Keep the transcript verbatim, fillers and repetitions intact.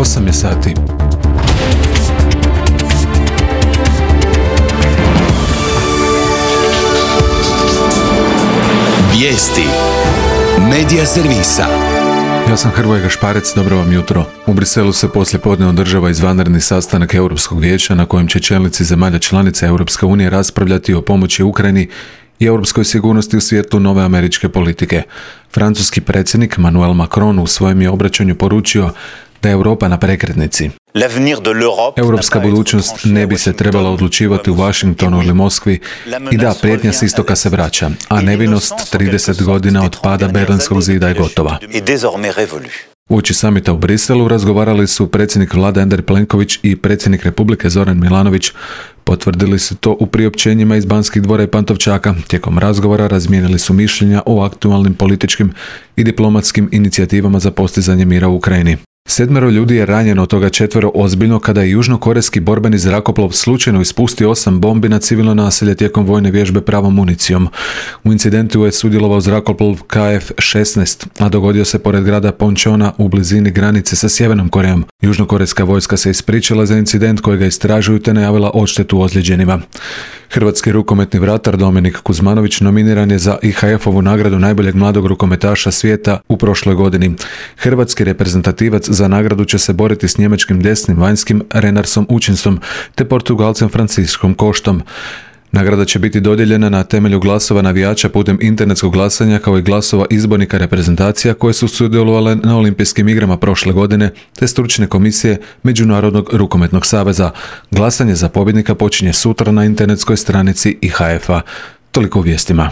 osam je sati. Vijesti Medija servisa. Ja sam Hrvoje Gašparec, dobro vam jutro. U Briselu se poslijepodne održava izvanredni sastanak Europskog vijeća na kojem će čelnici zemalja članica Europske unije raspravljati o pomoći Ukrajini i europskoj sigurnosti u svijetlu nove američke politike. Francuski predsjednik Emmanuel Macron u svojem je obraćanju poručio da je Europa na prekretnici. Europska budućnost ne bi se trebala odlučivati u Washingtonu ili Moskvi i da, prijetnja s istoka se vraća, a nevinost trideset godina od pada Berlinskog zida je gotova. Uoči samita u Briselu razgovarali su predsjednik vlade Andrej Plenković i predsjednik Republike Zoran Milanović. Potvrdili su to u priopćenjima iz Banskih dvora i Pantovčaka. Tijekom razgovora razmijenili su mišljenja o aktualnim političkim i diplomatskim inicijativama za postizanje mira u Ukrajini. Sedmero ljudi je ranjeno, od toga četvero ozbiljno, kada je južnokorejski borbeni zrakoplov slučajno ispustio osam bombi na civilno naselje tijekom vojne vježbe pravom municijom. U incidentu je sudjelovao zrakoplov K F šesnaest, a dogodio se pored grada Pončona u blizini granice sa Sjevernom Korejom. Južnokorejska vojska se ispričala za incident kojega istražuju te najavila odštetu ozlijeđenima. Hrvatski rukometni vratar Dominik Kuzmanović nominiran je za I H F-ovu nagradu najboljeg mladog rukometaša svijeta u prošloj godini. Hrvatski reprezentativac za nagradu će se boriti s njemačkim desnim vanjskim Renarsom Učinsom te Portugalcem Franciskom Koštom. Nagrada će biti dodijeljena na temelju glasova navijača putem internetskog glasanja, kao i glasova izbornika reprezentacija koje su sudjelovale na olimpijskim igrama prošle godine te stručne komisije Međunarodnog rukometnog saveza. Glasanje za pobjednika počinje sutra na internetskoj stranici I H F-a. Toliko u vijestima.